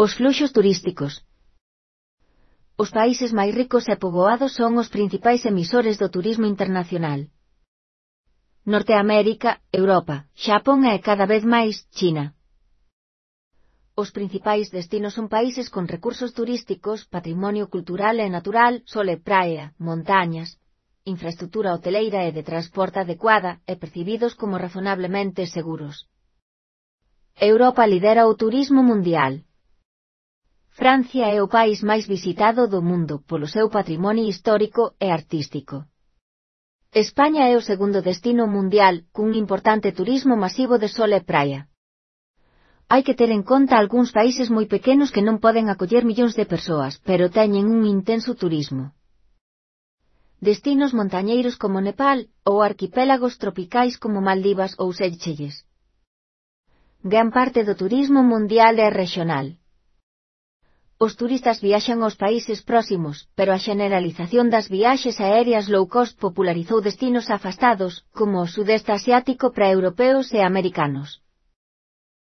Os fluxos turísticos. Os países máis ricos e poboados son os principais emisores do turismo internacional. Norteamérica, Europa, Xapón e cada vez máis, China. Os principais destinos son países con recursos turísticos, patrimonio cultural e natural, sol e praia, montañas, infraestructura hoteleira e de transporte adecuada e percibidos como razonablemente seguros. Europa lidera o turismo mundial. Francia é o país máis visitado do mundo polo seu patrimonio histórico e artístico. España é o segundo destino mundial cun importante turismo masivo de sol e praia. Hai que ter en conta algúns países moi pequenos que non poden acoller millóns de persoas, pero teñen un intenso turismo. Destinos montañeiros como Nepal ou arquipélagos tropicais como Maldivas ou Seychelles. Gran parte do turismo mundial é regional. Os turistas viaxan aos países próximos, pero a xeneralización das viaxes aéreas low cost popularizou destinos afastados, como o sudeste asiático para europeos e americanos.